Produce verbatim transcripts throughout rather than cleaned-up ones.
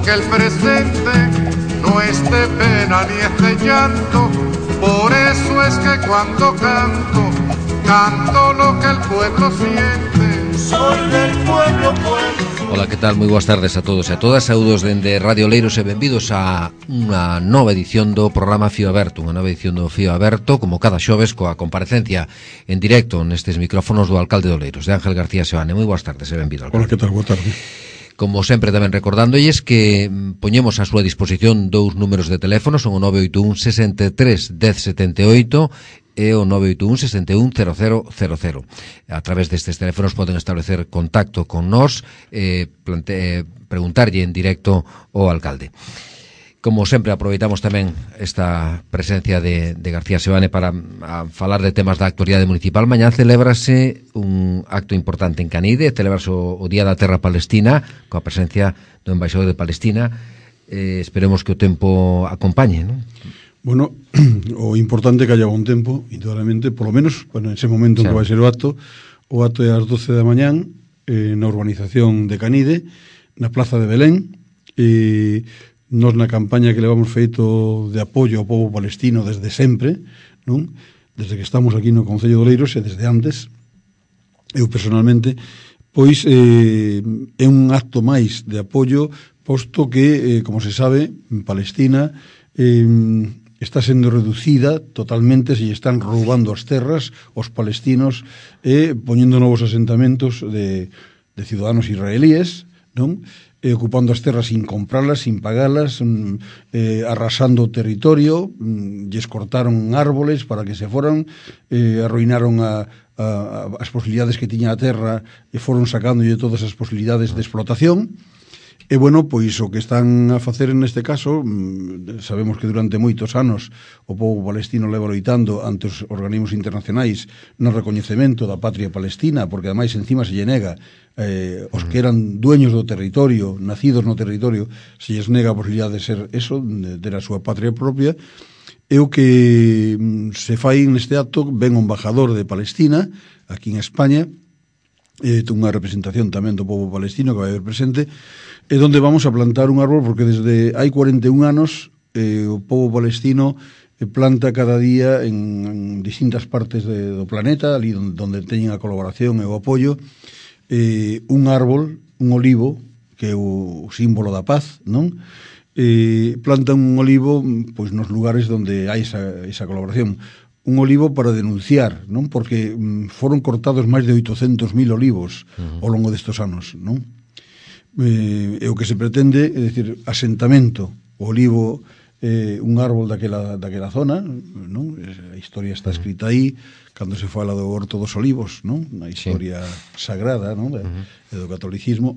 que el presente no es de pena ni es de llanto. Por eso es que cuando canto, canto lo que el pueblo siente. Soy del pueblo, pueblo. Ola, que tal? Moi boas tardes a todos e a todas. Saúdos dende Radio Oleiros e benvidos a unha nova edición do programa Fío Aberto. Unha nova edición do Fío Aberto, como cada xoves, coa comparecencia en directo nestes micrófonos do alcalde de Oleiros, de Ángel García Seoane. Moi boas tardes e benvido, alcalde. Ola, que tal? Boa tarde. Como sempre, tamén recordándolles que poñemos a súa disposición dous números de teléfono, son o nove oito un sesenta e tres dez setenta e oito e o nove oito un sesenta e un cero cero cero cero. A través destes teléfonos poden establecer contacto con nós e eh, preguntarlle en directo ao alcalde. Como sempre, aproveitamos tamén esta presencia de, de García Seoane para a falar de temas da actualidade municipal. Mañá celébrase un acto importante en Canide, celébrase o, o Día da Terra Palestina, coa presencia do embaixador de Palestina. Eh, esperemos que o tempo acompañe, non? Bueno, o importante é que haya un tempo, indudablemente, polo menos, bueno, en ese momento en que vai ser o acto, o acto é ás doce da mañán, eh, na urbanización de Canide, na Plaza de Belén, e nos na campaña que levamos feito de apoio ao povo palestino desde sempre, non? Desde que estamos aquí no Concello de Oleiros e desde antes, eu personalmente, pois eh, é un acto máis de apoio, posto que, eh, como se sabe, en Palestina eh, está sendo reducida totalmente, se están roubando as terras os palestinos e eh, poñendo novos asentamentos de, de ciudadanos israelíes, non? Eh, ocupando as terras sin compralas, sin pagalas, mm, eh, arrasando o territorio, mm, lles cortaron árboles para que se foran, eh, arruinaron a, a, a, as posibilidades que tiña a terra e foron sacándolle todas as posibilidades de explotación. E, bueno, pois o que están a facer neste caso, sabemos que durante moitos anos o povo palestino leva loitando ante os organismos internacionais no recoñecemento da patria palestina, porque ademais encima se lle nega eh, os que eran dueños do territorio, nacidos no territorio, se lles nega a posibilidade de ser eso, de ter a súa patria propia. E o que se fai neste acto, ven o embajador de Palestina aquí en España, e unha representación tamén do povo palestino que vai haber presente, e donde vamos a plantar un árbol, porque desde hai cuarenta e un anos eh, o povo palestino eh, planta cada día en, en distintas partes de, do planeta, ali donde, donde teñen a colaboración e o apoio, eh, un árbol, un olivo, que é o, o símbolo da paz, non? Eh, plantan un olivo pois nos lugares donde hai esa, esa colaboración. Un olivo para denunciar, non? Porque mm, foron cortados máis de oitocentos mil olivos uh-huh. ao longo destes anos, non? Eh, e o que se pretende é dicir, asentamento, o olivo eh, un árbol daquela, daquela zona, non? A historia está escrita aí, cando se fala do Horto dos Olivos, non? Na historia sí. sagrada, non? Uh-huh. Do catolicismo.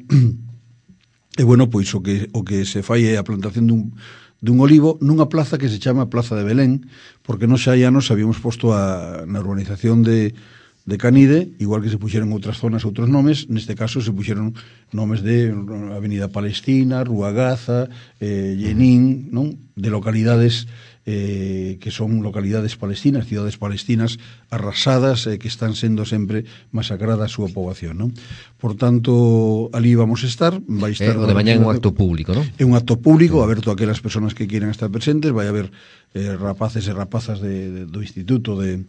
E, bueno, pois o que, o que se fai é a plantación dun dun olivo nunha plaza que se chama Plaza de Belén, porque nos xa hai anos habíamos posto a, na urbanización de, de Canide, igual que se puxeron outras zonas, outros nomes, neste caso se puxeron nomes de Avenida Palestina, Rúa Gaza, eh, Jenin, non? De localidades eh, que son localidades palestinas, cidades palestinas arrasadas, eh, que están sendo sempre masacrada a súa poboación, non? Por tanto, ali vamos a estar, vai estar... Eh, o de mañá é un acto público, non? É un acto público, aberto a aquelas persoas que queiran estar presentes, vai haber eh, rapaces e rapazas de, de, do Instituto de,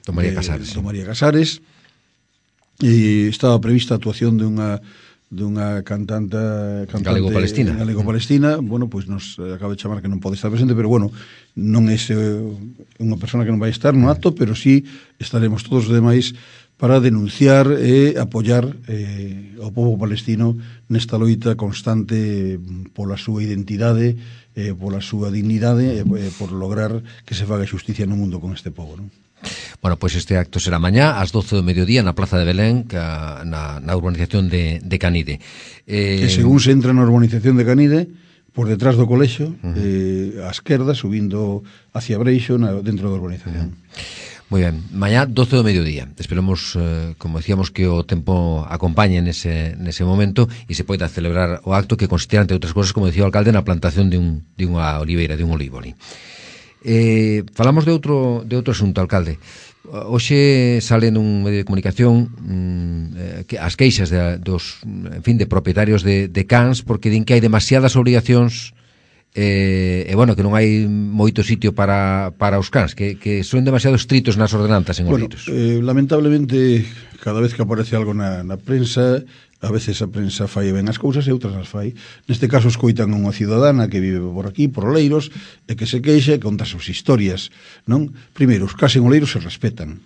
do María Casares, de, do María Casares, e estaba prevista a actuación de unha dunha cantante, cantante galego-palestina. Galego-palestina, bueno, pois nos acaba de chamar que non pode estar presente, pero bueno, non é unha persona que non vai estar no acto, pero sí estaremos todos os demais para denunciar e apoiar eh, ao povo palestino nesta loita constante pola súa identidade, eh, pola súa dignidade e eh, por lograr que se faga xusticia no mundo con este povo, non? Bueno, pois este acto será mañá ás doce do mediodía na Plaza de Belén, que, na, na urbanización de, de Canide. Eh, que según se entra na urbanización de Canide, por detrás do colexo, uh-huh. eh, á esquerda, subindo hacia Breixo, na, dentro da urbanización. Uh-huh. Moi ben, mañá doce do mediodía. Esperemos, eh, como decíamos, que o tempo acompañe nese, nese momento e se poida celebrar o acto que consistirá, entre outras cosas, como decía o alcalde, na plantación de, un, de unha oliveira, de un olivo ali. Eh, falamos de outro, de outro asunto, alcalde. Hoxe sale nun medio de comunicación mm, que as queixas de, dos, en fin, de propietarios de, de cans, porque din que hai demasiadas obrigacións eh, e, bueno, que non hai moito sitio para, para os cans, que, que son demasiado estritos nas ordenanzas en bueno, Oleiros. Eh, lamentablemente, cada vez que aparece algo na, na prensa, a veces a prensa fai ben as cousas e outras as fai. Neste caso escoitan unha cidadana que vive por aquí, por Oleiros, e que se queixa e conta as súas historias, non? Primeiro, os cas en Oleiros se respetan.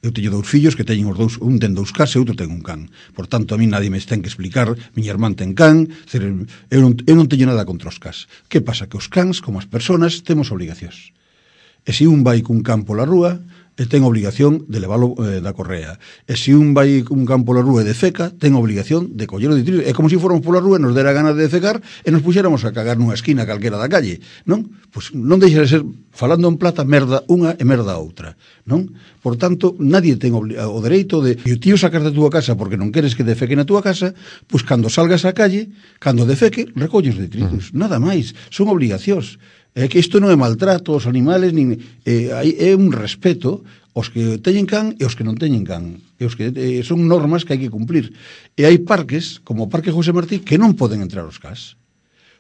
Eu teño dous fillos que teñen os dous, un ten dous cas e outro ten un can. Por tanto, a mí nadie me ten que explicar, miña irmán ten can, eu non, eu non teño nada contra os cas. Que pasa? Que os cans, como as personas, temos obligacións. E se un vai cun can pola rúa, e ten obligación de leválo eh, da correa. E se un vai cun can pola rúa e defeca, ten obligación de collelo de tiro. É como se fóramos pola rúa e nos dera gana de defecar e nos puxéramos a cagar nunha esquina calquera da calle, non? Pois non deixa de ser, falando en plata, merda unha e merda outra, non? Por tanto, nadie ten o dereito de e o tío sacar da túa casa porque non queres que defeque na túa casa, pois cando salgas á calle, cando defeque, recolles detritus, uh-huh. Nada máis, son obligacións. É que isto non é maltrato aos animales, nin, eh, é un respeto aos que teñen can e aos que non teñen can. E os que eh, son normas que hai que cumplir. E hai parques, como o Parque José Martí, que non poden entrar os cas.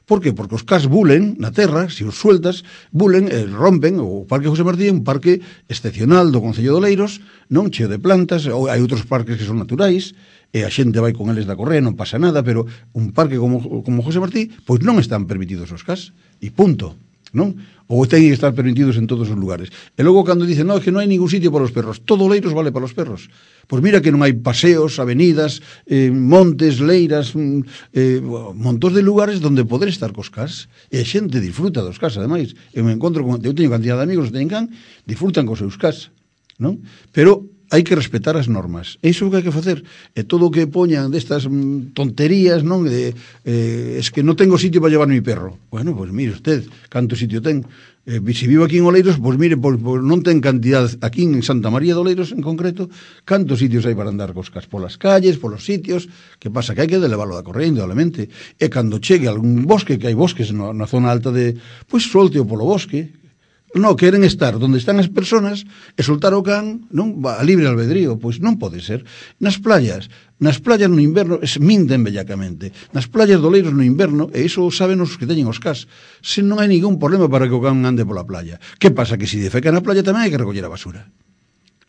Por que? Porque os cas bulen na terra, se os sueltas, bulen, eh, rompen. O Parque José Martí é un parque excepcional do Concello de Oleiros, non cheo de plantas, ou hai outros parques que son naturais, e a xente vai con eles da correa, non pasa nada, pero un parque como, como José Martí, pois non están permitidos os cas. E punto. Non? Ou ten que estar permitidos en todos os lugares. E logo cando dicen, no, é que non hai ningún sitio para os perros, todo Oleiros vale para os perros. Pois mira que non hai paseos, avenidas, eh, montes, leiras, eh, montón de lugares onde poder estar cos cas, e a xente disfruta dos cas, ademais. Eu me encontro con, eu teño cantidad de amigos que teñen can, disfrutan cos seus cas, non? Pero hai que respetar as normas. E iso é o que hai que facer. E todo o que poñan destas mm, tonterías, non? De, eh, es que non tengo sitio para llevar mi perro. Bueno, pois pues mire usted, canto sitio ten. Eh, se vivo aquí en Oleiros, pois pues mire, pois, pois non ten cantidad, aquí en Santa María de Oleiros en concreto, cantos sitios hai para andar cos cas polas calles, polos sitios, que pasa que hai que leválo da correa, indudablemente. E cando chegue a algún bosque, que hai bosques na, na zona alta de, pois pues, solte-o polo bosque. Non, queren estar onde están as persoas e soltar o can, non, a libre albedrío, pois non pode ser. Nas playas, nas playas no inverno es minten bellacamente. Nas playas do Oleiros no inverno, e iso saben os que teñen os cas, se non hai ningún problema para que o can ande pola playa. Que pasa? Que se defeca na playa tamén hai que recoller a basura.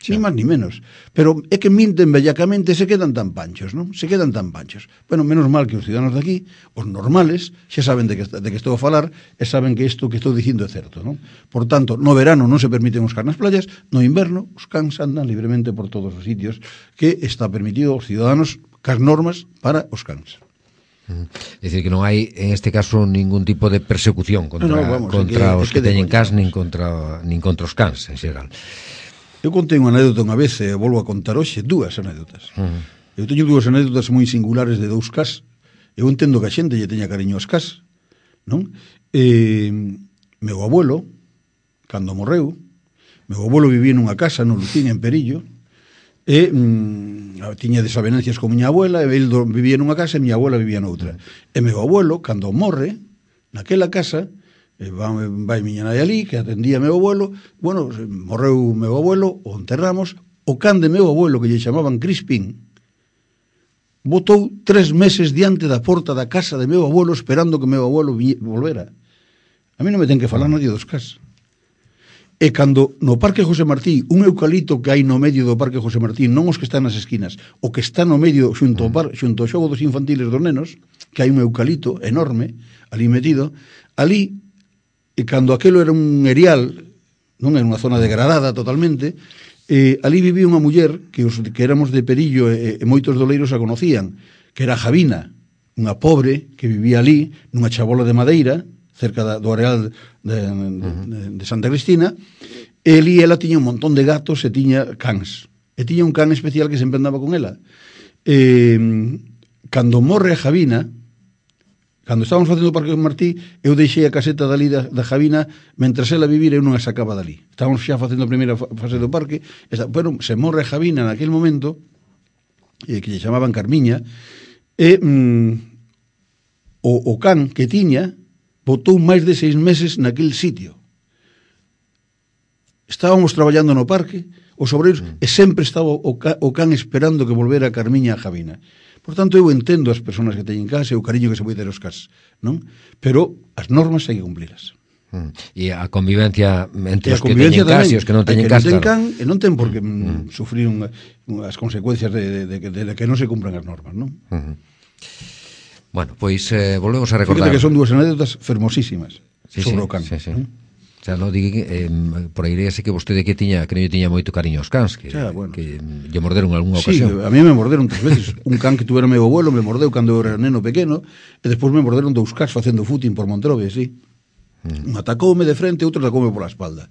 Ni máis ni menos. Pero é que minten bellacamente e se quedan tan panchos, non? Se quedan tan panchos. Bueno, menos mal que os ciudadanos de aquí, os normales, xa saben de que, de que estou a falar e saben que isto que estou dicindo é certo, non? Por tanto, no verano non se permiten os cans nas playas, no inverno os cans andan libremente por todos os sitios que está permitido aos ciudadanos cas normas para os cans. É dicir, que non hai en este caso ningún tipo de persecución contra, no, no, vamos, contra que, os que, que teñen cans nin contra, nin contra os cans en xeral. Eu contei unha anécdota unha vez e volvo a contar hoxe dúas anécdotas. Uh-huh. Eu teño dúas anécdotas moi singulares de dous cas. Eu entendo que a xente lle teña cariño aos cas, non? E, meu abuelo, cando morreu, meu abuelo vivía nunha casa no Lucín, en Perillo, e mm, tiña desavenencias con miña abuela, e el vivía nunha casa e miña abuela vivía noutra. E meu abuelo, cando morre, naquela casa, e vai, vai miña nai ali, que atendía meu abuelo, bueno, morreu meu abuelo, o enterramos, o can de meu abuelo, que lle chamaban Crispín, botou tres meses diante da porta da casa de meu abuelo esperando que meu abuelo vi, volvera. A mí non me ten que falar nadie dos cas. E cando no Parque José Martí, un eucalipto que hai no medio do Parque José Martí, non os que están nas esquinas, o que está no medio xunto ao, par, xunto ao xogo dos infantiles dos nenos, que hai un eucalipto enorme ali metido, ali, e cando aquelo era un erial, non era unha zona degradada totalmente, eh, ali vivía unha muller que os que éramos de Perillo e, e moitos doleiros a conocían, que era Javina, unha pobre que vivía ali nunha chabola de madeira cerca da, do areal de, de, de Santa Cristina, e ali ela tiña un montón de gatos e tiña cans, e tiña un can especial que sempre andaba con ela. E, cando morre a Javina, cando estábamos facendo o Parque Martí, eu deixei a caseta dali da, da Javina, mentras ela vivira eu non a sacaba dali. Estábamos xa facendo a primeira fase do parque, esta, bueno, se morre a Javina naquele momento, eh, que lle chamaban Carmiña, e mm, o, o can que tiña botou máis de seis meses naquel sitio. Estábamos traballando no parque, os obreiros, mm. e sempre estaba o, ca, o can esperando que volvera a Carmiña a Javina. Por tanto, eu entendo as persoas que teñen casa e o cariño que se vai ter aos cas, non? Pero as normas hai que cumpliras. Mm. E a convivencia entre os que teñen cas e os que non teñen cas, claro. Can, e non ten por que mm. sufrir un, as consecuencias de, de, de, de, de que non se cumpran as normas, non? Mm. Bueno, pois eh, volvemos a recordar. Fíjate que son dúas anécdotas fermosísimas sí, sobre sí, o can. Sí, sí. ¿eh? O sea, no diga eh, por aí sé que vostede que tiña que non tiña moito cariño aos cans, que, xa, bueno. que lle morderon algunha sí, ocasión. Sí, a mí me morderon tres veces. Un can que tuvera meu abuelo me mordeu cando eu era neno pequeno, e despois me morderon dous cans facendo footing por Montrove, sí. Mm. Un atacoume de frente, outro atacoume pola espalda,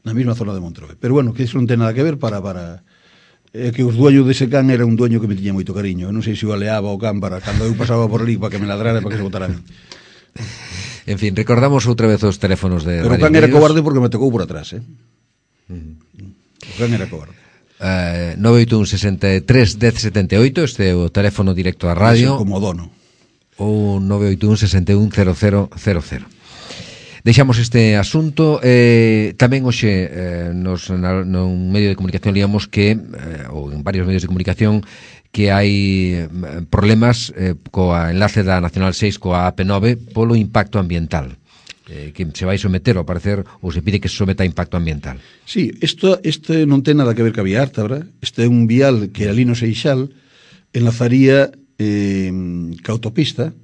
na mesma zona de Montrove. Pero bueno, que iso non ten nada que ver para... para é que os dueños dese can era un dueño que me tiña moito cariño. Eu non sei se o aleaba o can para cando eu pasaba por ali para que me ladrara e para que se botara a mí. En fin, recordamos outra vez os teléfonos de Pero o can era cobarde porque me tocou por atrás, eh? Mm. O can era cobarde. Uh, nove oito un sesenta e tres dez setenta e oito, este é o teléfono directo a radio. Como dono. Ou nove oito un sesenta e un cero cero cero cero. Deixamos este asunto. eh, tamén hoxe eh, nos, na, nun medio de comunicación liamos que, eh, ou en varios medios de comunicación, que hai problemas eh, coa enlace da Nacional seis coa A P nove polo impacto ambiental, eh, que se vai someter ao parecer, ou se pide que se someta a impacto ambiental. Sí, isto, este non ten nada que ver ca vía Ártabra. Este é un vial que ali no Seixal enlazaría eh, ca autopista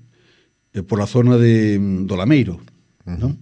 eh, por a zona de do Lameiro, uh-huh. non?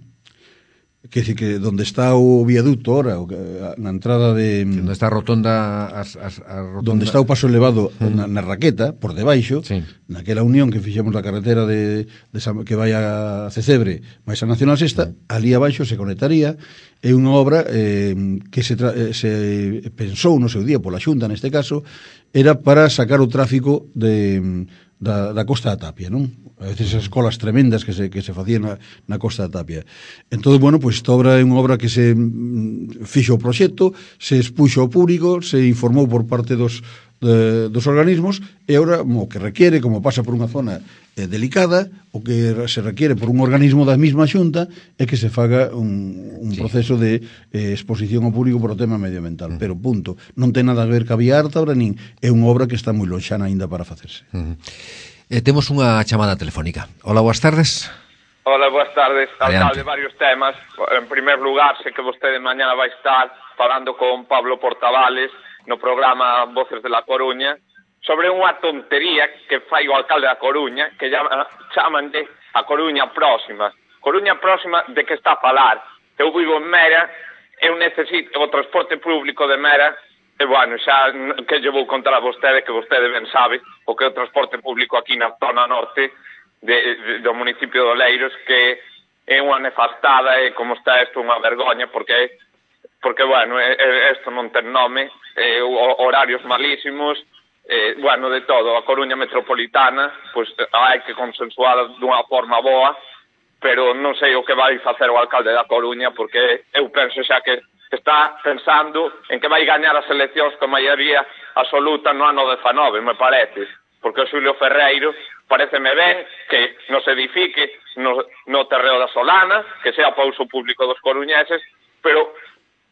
Que dice que donde está o viaducto ora, o, na entrada de... Onde está a rotonda... As, as, a rotonda... Donde está o paso elevado uh-huh. na, na Raqueta, por debaixo, sí. naquela unión que fixemos da carretera de, de San, que vai a Cecebre, máis a Nacional Sexta, uh-huh. ali abaixo se conectaría. É unha obra eh, que se, tra, eh, se pensou no seu día pola Xunta, neste caso, era para sacar o tráfico de... Da, da Costa da Tapia, non? A veces esas colas tremendas que se, que se facían na, na Costa da Tapia. Entón, bueno, pois esta obra é unha obra que se mm, fixo o proxecto, se expuxo ao público, se informou por parte dos, de, dos organismos, e agora o que requiere, como pasa por unha zona eh, delicada, o que se requiere por un organismo da mesma Xunta é que se faga un, un sí. proceso de eh, exposición ao público por o tema medioambiental. Uh-huh. Pero, punto, non ten nada a ver ca vía Ártabra, nin é unha obra que está moi lonxana aínda para facerse. Uh-huh. Eh, temos unha chamada telefónica. Hola, boas tardes. Hola, boas tardes. Alcalde, varios temas. En primer lugar, sei que vostede mañana vai estar falando con Pablo Portavales no programa Voces de la Coruña sobre unha tontería que fai o alcalde da Coruña, que chaman de a Coruña Próxima. Coruña Próxima, de que está a falar? Eu vivo en Mera, eu necesito o transporte público de Mera. E, bueno, xa que lle vou contar a vostede, que vostede ben sabe o que é o transporte público aquí na zona norte de, de, do municipio de Oleiros, que é unha nefastada e como está isto unha vergoña, porque, porque bueno, isto non ten nome, eh, horarios malísimos, eh, bueno, de todo. A Coruña Metropolitana, pois hai que consensuar dunha forma boa, pero non sei o que vai facer o alcalde da Coruña, porque eu penso xa que está pensando en que vai gañar as eleccións con maioría absoluta no ano dezanove, me parece, porque o Xulio Ferreiro pareceme ben que nos edifique no, no terreo da Solana, que sea para uso público dos coruñeses, pero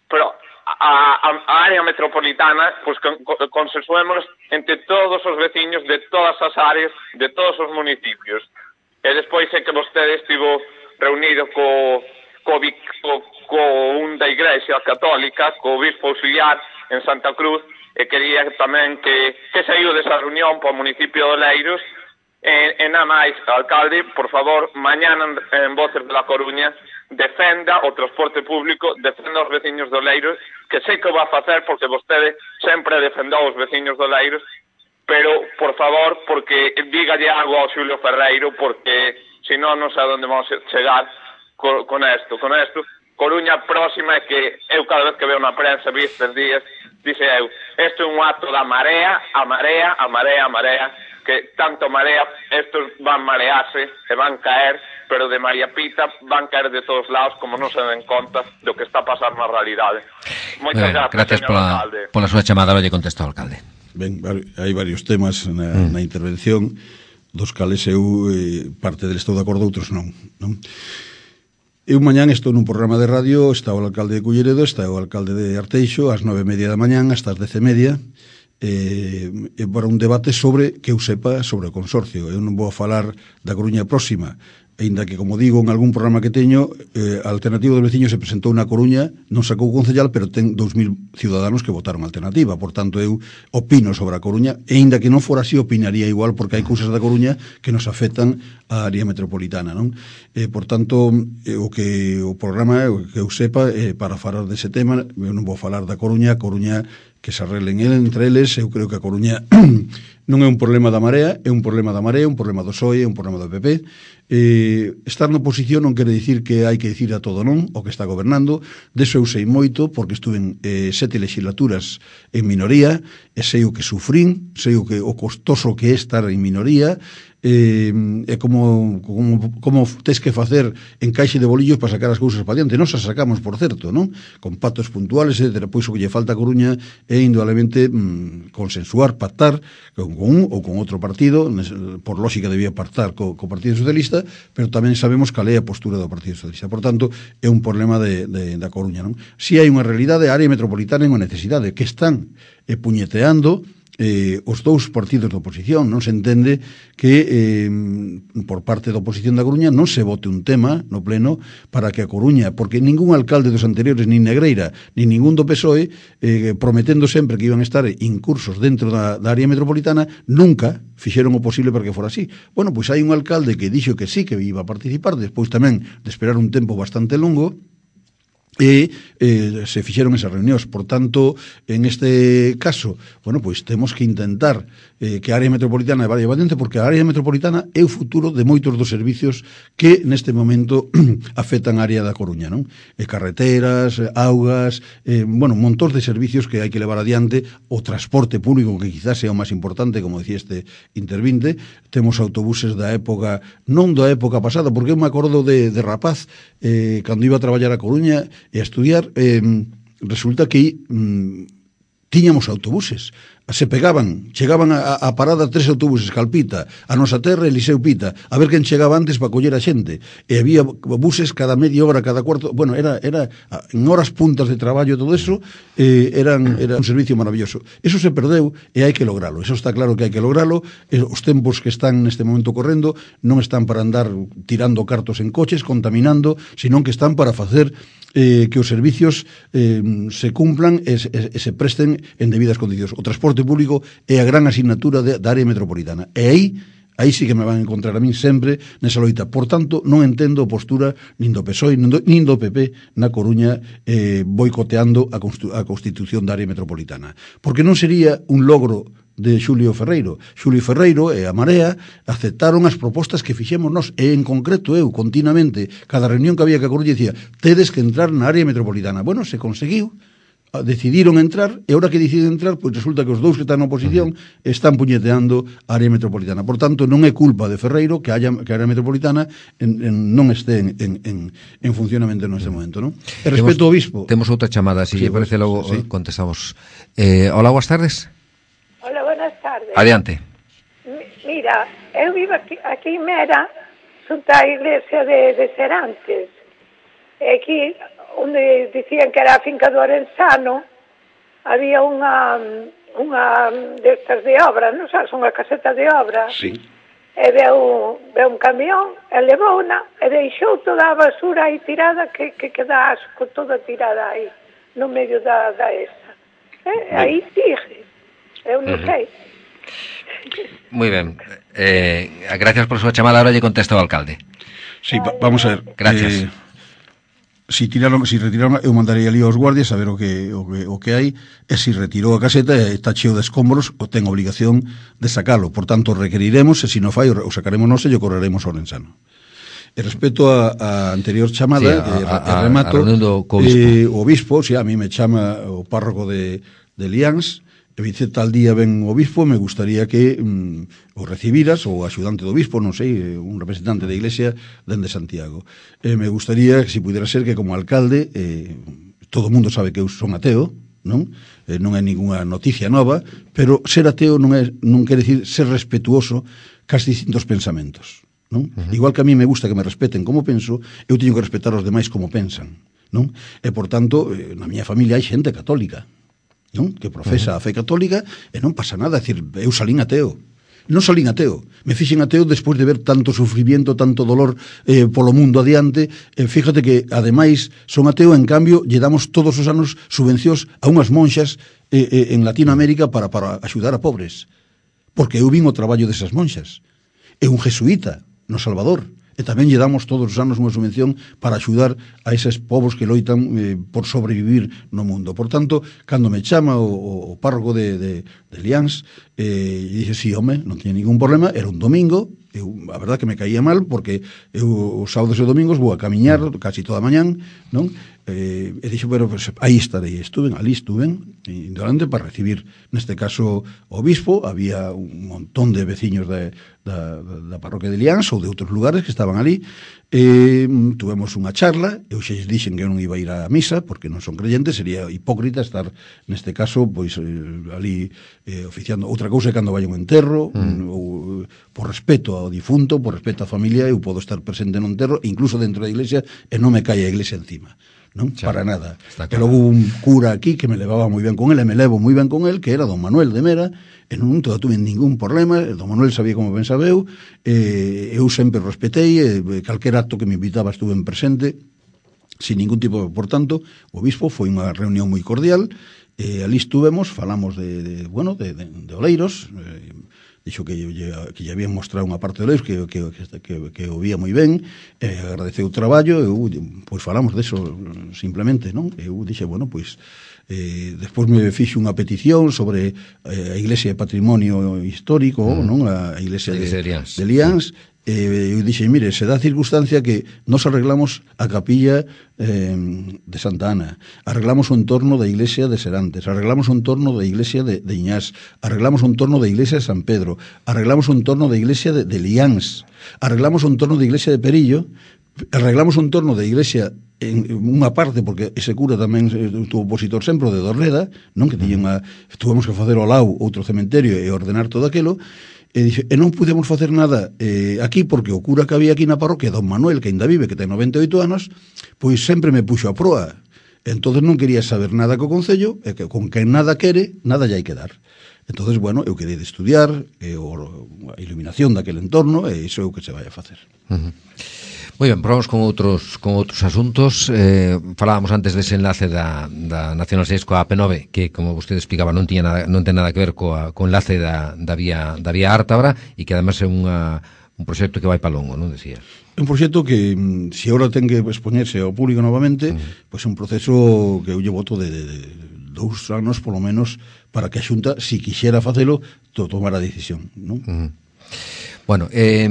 pero a, a, a área metropolitana, pues con, con, consensuémonos entre todos os veciños de todas as áreas, de todos os municipios. E despois é que vostede estivo reunido co co, co, co un da Igrexa Católica, co Bispo Auxiliar en Santa Cruz, e quería tamén que, que saiu desa reunión para o municipio de Oleiros. E, e nada máis, alcalde, por favor, mañana en, en Voces de la Coruña, defenda o transporte público, defenda os veciños de Oleiros, que sei que o va a facer porque vostede sempre defendeu os veciños de Oleiros, pero, por favor, porque dígalle algo ao Xulio Ferreiro, porque se non, non sei a onde vamos a chegar con, con esto, con esto. Coruña Próxima é que eu cada vez que veo na prensa vi estes días, dice eu, isto é un acto da marea, a marea, a marea, a marea, que tanto marea, estos van marearse e van caer, pero de María Pita van caer de todos lados como non se den conta do que está a pasar na realidade. Moitas bueno, gracias, gracias pola, pola súa chamada, lle contesto ao alcalde. Ben, hai varios temas na, mm. na intervención, dos cales eu eh, parte del estou de acordo, outros non, non? Eu mañán estou nun programa de radio, está o alcalde de Culleredo, está o alcalde de Arteixo, ás nove e media da mañán, hasta as dez e media, eh, para un debate sobre, que eu sepa, sobre o consorcio. Eu non vou a falar da Coruña próxima, ainda que, como digo, en algún programa que teño, eh, a Alternativa dos Veciños se presentou na Coruña, non sacou concellal, pero ten dous mil ciudadanos que votaron a Alternativa. Por tanto, eu opino sobre a Coruña, e ainda que non fora así, opinaría igual, porque hai cousas da Coruña que nos afectan a área metropolitana, non? Eh, por tanto, eh, o que o programa, o que eu sepa, eh, para falar dese tema, eu non vou falar da Coruña, a Coruña que se arreglen entre eles. Eu creo que a Coruña non é un problema da Marea, é un problema da Marea, un problema do P S O E, é un problema do P P. Eh, estar na oposición non quere dicir que hai que dicir a todo non o que está gobernando. Deso eu sei moito, porque estuve en eh, sete legislaturas en minoría, e sei o que sufrín, sei o que o costoso que é estar en minoría, eh, é como, como, como tes que facer encaixe de bolillos para sacar as cousas para diante. Nos as sacamos, por certo, non? Con pactos puntuales, etcétera. Pois o que lle falta a Coruña é indudablemente mm, consensuar, pactar con, con un ou con outro partido. Por lógica debía pactar co, co Partido Socialista, pero tamén sabemos cal é a postura do Partido Socialista. Por tanto, é un problema de, de, da Coruña, non? Si hai unha realidade, a área metropolitana é unha necesidade que están eh, puñeteando eh, os dous partidos da oposición. Non se entende que eh, por parte da oposición da Coruña non se vote un tema no pleno para que a Coruña, porque ningún alcalde dos anteriores, nin Negreira, nin ningún do P S O E, eh, prometendo sempre que iban a estar incursos dentro da, da área metropolitana, nunca fixeron o posible para que fora así. Bueno, pois hai un alcalde que dixo que sí, que iba a participar, despois tamén de esperar un tempo bastante longo, e eh, se fixeron esas reunións. Por tanto, en este caso, bueno, pois temos que intentar eh, que a área metropolitana vaya badente, porque a área metropolitana é o futuro de moitos dos servicios que neste momento afectan a área da Coruña, non? E carreteras, augas, eh, bueno, montón de servicios que hai que levar adiante, o transporte público, que quizás sea o máis importante, como decía este intervinte. Temos autobuses da época, non da época pasada, porque eu me acordo de, de rapaz, eh, cando iba a traballar a Coruña e a estudiar, eh, resulta que mm, tiñamos autobuses, se pegaban, chegaban a, a parada tres autobuses, Calpita, a Nosa Terra e Eliseu Pita, a ver quen chegaba antes para coller a xente, e había buses cada media hora, cada cuarto, bueno, era, era en horas puntas de traballo, todo eso, eh, eran, era un servicio maravilloso. Eso se perdeu e hai que logralo, eso está claro que hai que logralo. Os tempos que están neste momento correndo non están para andar tirando cartos en coches, contaminando, sino que están para facer eh, que os servicios eh, se cumplan e se, e se presten en debidas condicións. O transporte público é a gran asignatura de, da área metropolitana, e aí aí sí que me van a encontrar a min sempre nesa loita. Por tanto, non entendo a postura nin do P S O E nin do, nin do P P na Coruña eh, boicoteando a, a Constitución da área metropolitana, porque non sería un logro de Xulio Ferreiro. Xulio Ferreiro e a Marea aceptaron as propostas que fixemos nós, e en concreto eu, continuamente, cada reunión que había que a Coruña dicía, tedes que entrar na área metropolitana. Bueno, se conseguiu, decidiron entrar, e ahora que deciden entrar, pois resulta que os dous que están na oposición están puñeteando a área metropolitana. Por tanto, non é culpa de Ferreiro que, haya, que a área metropolitana en, en, non este en, en, en, en funcionamento neste momento, non? E respecto ao obispo... Temos outra chamada, se sí, lle parece, pues, logo sí. contestamos. Eh, hola, boas tardes. Hola, buenas tardes. Adiante. M- mira, eu vivo aquí, aquí en Mera, junto á iglesia de, de Serantes. E aquí, onde dicían que era a finca do Orensano, había unha, unha destas de obra, non sabes, unha caseta de obra. Sí. E veu, veu un camión, e levou una, e deixou toda a basura aí tirada, que, que queda asco toda tirada aí, no medio da, da esa. E aí sigue. Eu non uh-huh. sei. Moi ben. Eh, gracias por súa chamada. Ahora lle contesta o alcalde. Sí, va, vamos a ver. Gracias. Eh, si tiraron, si retiraron, eu mandarei ali aos guardias a ver o que, o que, o que hai, e si retirou a caseta e está cheo de escombros, o ten obligación de sacalo. Por tanto, requeriremos, e se non fai, o sacaremos nós e o correremos ao Orensano. E respecto a, a anterior chamada, sí, a, a, a, remato, a do eh, o obispo, si a mí me chama o párroco de, de Liáns, e dice, tal día ven o obispo, me gustaría que mm, o recibiras, o axudante do obispo, non sei, un representante da iglesia dende Santiago. E me gustaría que, se pudera ser, que como alcalde, eh, todo o mundo sabe que eu son ateo, non? Eh, non é ninguna noticia nova, pero ser ateo non, é, non quere dicir ser respetuoso cas distintos pensamentos. non? Uh-huh. Igual que a mí me gusta que me respeten como penso, eu teño que respetar os demais como pensan, non? E, por tanto, na miña familia hai xente católica, non? Que profesa uh-huh. a fe católica e non pasa nada, é dicir, eu salín ateo. Non salín ateo, me fixen ateo despois de ver tanto sufrimiento, tanto dolor eh, polo mundo adiante. E fíjate que, ademais, son ateo, en cambio, lle damos todos os anos subvencións a unhas monxas eh, eh, en Latinoamérica para, para axudar a pobres. Porque eu vin o traballo desas monxas. É un jesuíta no Salvador. E tamén lle damos todos os anos unha subvención para axudar a eses povos que loitan eh, por sobrevivir no mundo. Por tanto, cando me chama o, o párroco de, de, de Liáns, eh, e dixe, sí, home, non tiña ningún problema, era un domingo, eu, a verdad que me caía mal, porque eu os sábados e domingos vou a camiñar casi toda a mañán, non? Eh, e dixo, pero pues, aí estarei, estuven, ali estuven, indolente para recibir, neste caso, o obispo. Había un montón de veciños de, da, da parroquia de Liáns ou de outros lugares que estaban ali. Eh, tuvemos unha charla, eu xa dixen que eu non iba a ir á misa, porque non son creyentes, sería hipócrita estar, neste caso, pois, eh, ali eh, oficiando. Outra cousa é cando vai un enterro, mm. ou, por respeto ao difunto, por respeto á familia, eu podo estar presente no enterro, incluso dentro da iglesia, e non me cae a iglesia encima. Non? Xa, para nada. E logo un cura aquí que me levaba moi ben con el, e me levo moi ben con el, que era don Manuel de Mera, e non tuve ningún problema. Don Manuel sabía como pensaba eu, e eu sempre respetei, e calquer acto que me invitaba estuve en presente, sin ningún tipo. Por tanto, o obispo foi unha reunión moi cordial, e ali estuvemos, falamos de, de bueno, de, de, de Oleiros, e dixo que lle, que lle habían mostrado unha parte de Oleiros que, que, que, que o vía moi ben, e agradeceu o traballo. Eu, pois falamos deso simplemente, non? Eu dixe, bueno, pois eh, despois me fixo unha petición sobre eh, a Iglesia de Patrimonio Histórico, mm. non? A Iglesia de, de Liáns, de Liáns. Sí. Eh, eu dixen, mire, se dá circunstancia que nos arreglamos a capilla eh, de Santa Ana, arreglamos o entorno da iglesia de Serantes, arreglamos o entorno da iglesia de, de Iñás, arreglamos o entorno da iglesia de San Pedro, arreglamos o entorno da iglesia de, de Liáns, arreglamos o entorno da iglesia de Perillo, arreglamos o entorno da iglesia en unha parte, porque ese cura tamén estuvo opositor sempre de Dorreda, non? Que tiñen a, tuvemos que facer ao lado outro cementerio e ordenar todo aquilo. E, dixe, e non pudemos facer nada eh, aquí, porque o cura que había aquí na parroquia, don Manuel, que ainda vive, que ten noventa e oito anos, pois sempre me puxo a proa. Entonces non quería saber nada co Concello, e que con quen nada quere, nada lle hai que dar. Entonces, bueno, eu quedei de estudiar eh, o, a iluminación daquele entorno, e iso é o que se vai a facer. Uh-huh. Moi ben, probamos con outros con outros asuntos. Eh, falábamos antes dese enlace da, da Nacional seis coa A P nove, que, como vostede explicaba, non tiña nada, non ten nada que ver coa, co enlace da, da vía da vía Ártabra, e que además é unha, un proxecto que vai pa longo, non decía? É un proxecto que, se agora ten que expoñerse ao público novamente, uh-huh. pois é un proceso que eu lle voto de, de, de dous anos, polo menos, para que a Xunta, si quixera facelo, to tomar a decisión, non? Uh-huh. Bueno, eh,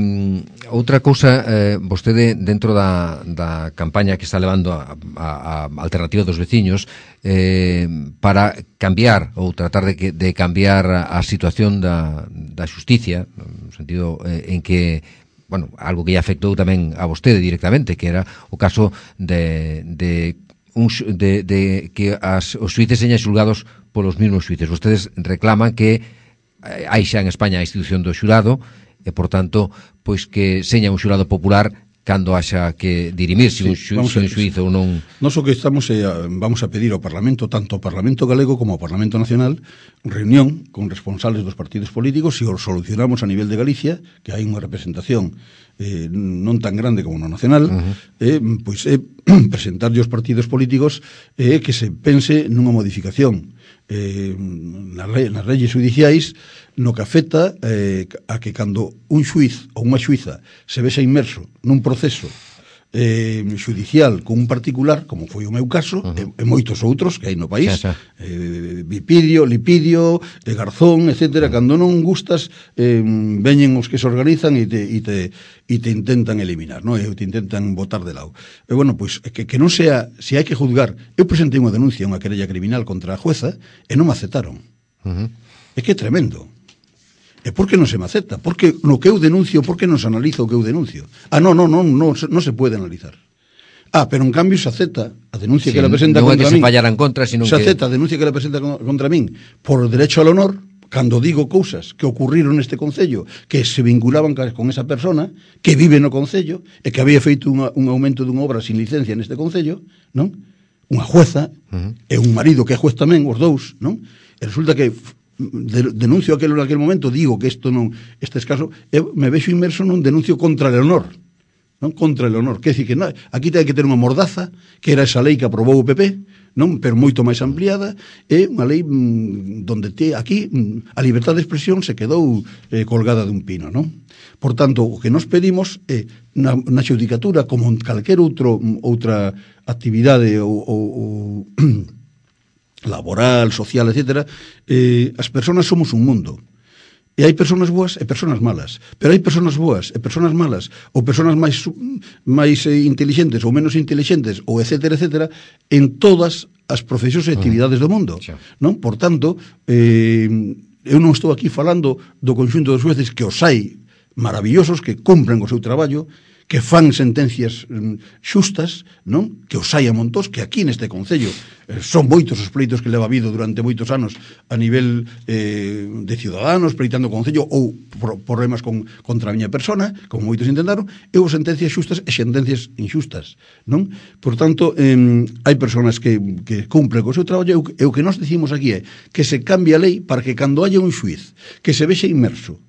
outra cousa, eh, vostede dentro da, da campaña que está levando a, a, a alternativa dos veciños eh, para cambiar ou tratar de, que, de cambiar a, a situación da, da xusticia, no sentido eh, en que, bueno, algo que lle afectou tamén a vostede directamente, que era o caso de, de, un, de, de que as, os xuíces señan xulgados polos mesmos xuíces. Vostedes reclaman que hai xa en España a institución do xurado, e, por tanto, pois que seña un xurado popular cando haxa que dirimir se un, xu, si un xuízo ou non. Nos o que estamos é, vamos a pedir ao Parlamento, tanto ao Parlamento Galego como ao Parlamento Nacional, reunión con responsables dos partidos políticos, e o solucionamos a nivel de Galicia, que hai unha representación eh, non tan grande como no nacional, uh-huh. eh, pois é eh, presentarlle aos partidos políticos eh, que se pense nunha modificación eh, nas, le, nas leyes judiciais, no que afecta eh, a que cando un xuiz ou unha xuiza se vexa inmerso nun proceso eh, judicial con un particular, como foi o meu caso, uh-huh. e, e moitos outros que hai no país, xa, xa. Eh, Bipidio, Lipidio, eh, Garzón, etcétera, uh-huh. cando non gustas, eh, veñen os que se organizan e te, e te, e te intentan eliminar, no? E te intentan botar de lado. E, bueno, pois, que, que non sea, se hai que juzgar, eu presentei unha denuncia, unha querella criminal contra a jueza, e non me aceptaron. Uh-huh. É que é tremendo. E por que non se me acepta? Porque no que eu denuncio, por que non se analiza o que eu denuncio? Ah, non, non, non, non, non se pode analizar. Ah, pero en cambio se acepta a denuncia sí, que la presenta contra min. Non é que se fallaran contra, sino que... Se acepta a denuncia que la presenta contra min por derecho al honor, cando digo cousas que ocurriron neste concello que se vinculaban con esa persona que vive no concello e que había feito unha, un aumento dunha obra sin licencia neste concello, non? Unha jueza uh-huh. e un marido que é juez tamén, os dous, non? E resulta que de, denuncio aquelo naquele momento, digo que isto non, este escaso, eu me vexo inmerso nun denuncio contra Leonor, non? Contra Leonor, que decir que non, aquí ten que ter unha mordaza, que era esa lei que aprobou o P P, non? Pero moito máis ampliada, e unha lei mmm, donde te, aquí mmm, a libertad de expresión se quedou eh, colgada dun pino, non? Por tanto, o que nos pedimos é na, na xudicatura, como en calquer outro, outra actividade ou, ou, ou laboral, social, etcétera, eh, as persoas somos un mundo. E hai persoas boas e persoas malas, pero hai persoas boas e persoas malas, ou persoas máis máis eh, intelixentes ou menos intelixentes, ou etcétera, etcétera, en todas as profesións e actividades do mundo, non? Por tanto, eh, eu non estou aquí falando do conxunto dos xueces, que os hai maravillosos, que cumpren o seu traballo, que fan sentencias xustas, non? Que os hai a montós, que aquí neste concello eh, son moitos os pleitos que leva habido durante moitos anos a nivel eh, de ciudadanos, pleitando o concello ou por, problemas con, contra a miña persona, como moitos intentaron, e ou sentencias xustas e sentencias inxustas, non? Por tanto, eh, hai persoas que, que cumpren co seu traballo, e o que nós decimos aquí é que se cambie a lei para que cando haya un xuiz que se vexe inmerso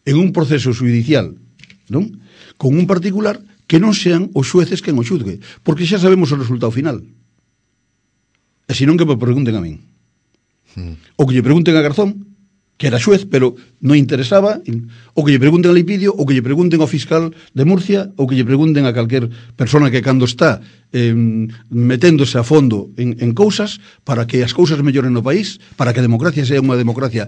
en un proceso judicial, non? Con un particular, que non sean os xueces quen o xudgue, porque xa sabemos o resultado final. E senón que me pregunten a min. Hmm. O que lle pregunten a Garzón, que era xuez, pero non interesaba, o que lle pregunten a Lipidio, o que lle pregunten ao fiscal de Murcia, o que lle pregunten a calquer persona que cando está eh, meténdose a fondo en, en cousas, para que as cousas melloren no país, para que a democracia sea unha democracia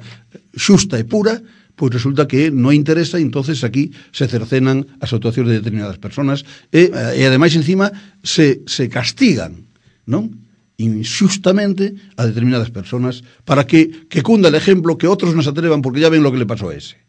xusta e pura, pois resulta que non interesa, e entonces aquí se cercenan as actuacións de determinadas personas e, e ademais encima se, se castigan, non? Inxustamente a determinadas personas para que, que cunda el ejemplo, que outros nos atrevan, porque ya ven lo que le pasó a ese.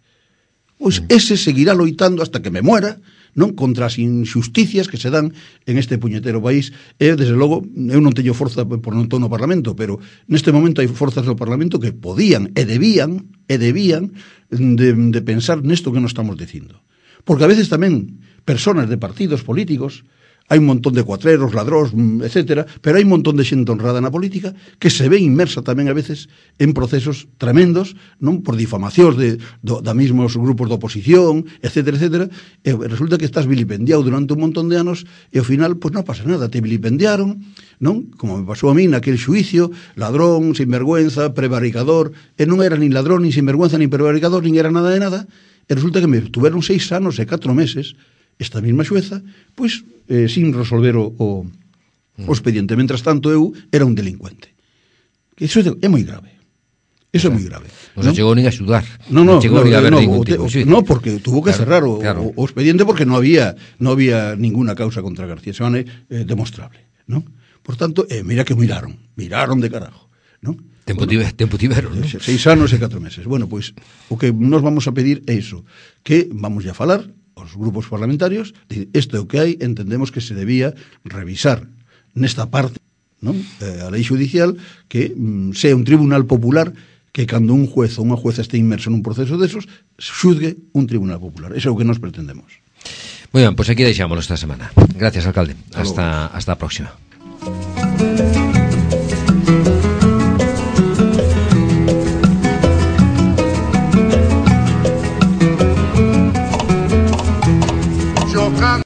Pois ese seguirá loitando hasta que me muera, non? Contra as injusticias que se dan en este puñetero país. E, desde logo, eu non teño forza por non estou no Parlamento, pero neste momento hai forzas no Parlamento que podían e debían e debían de, de pensar nesto que nos estamos dicindo. Porque a veces tamén personas de partidos políticos, hai un montón de cuatreros, ladróns, etcétera, pero hai un montón de xente honrada na política que se ve inmersa tamén a veces en procesos tremendos, non? Por difamacións de, do, da mismos grupos de oposición, etcétera, etcétera, e resulta que estás vilipendiado durante un montón de anos e ao final, pois non pasa nada, te vilipendiaron, non? Como me pasou a mí naquele xuicio, ladrón, sinvergüenza, prevaricador, e non era nin ladrón, nin sinvergüenza, nin prevaricador, nin era nada de nada, e resulta que me tuveron seis anos e catro meses esta mesma xueza, pois, eh, sin resolver o, o, o expediente. Mentras tanto, eu era un delincuente. Iso é, é moi grave. Iso o sea, é moi grave. Non se chegou nin a xudar. Non, non, non chegou no, nin a haber no, ningún te, tipo. Sí. No, porque tuvo que claro, cerrar o, claro. o, o expediente porque non había non había ninguna causa contra García Seoane eh, demostrable, non? Por tanto, eh, mira que miraron, miraron de carajo, non? Tempo, bueno, tiver, tempo tiveron, non? Seis anos e catro meses. Bueno, pois, o que nos vamos a pedir é iso, que vamos a falar os grupos parlamentarios, isto é o que hai, entendemos que se debía revisar nesta parte, non? Eh, a lei judicial, que mm, sea un tribunal popular, que cando un juez ou unha jueza este inmerso nun proceso desos, xudgue un tribunal popular. Eso é o que nos pretendemos. Moi ben, pois aquí deixámoslo esta semana. Gracias, alcalde. Hasta, hasta a próxima.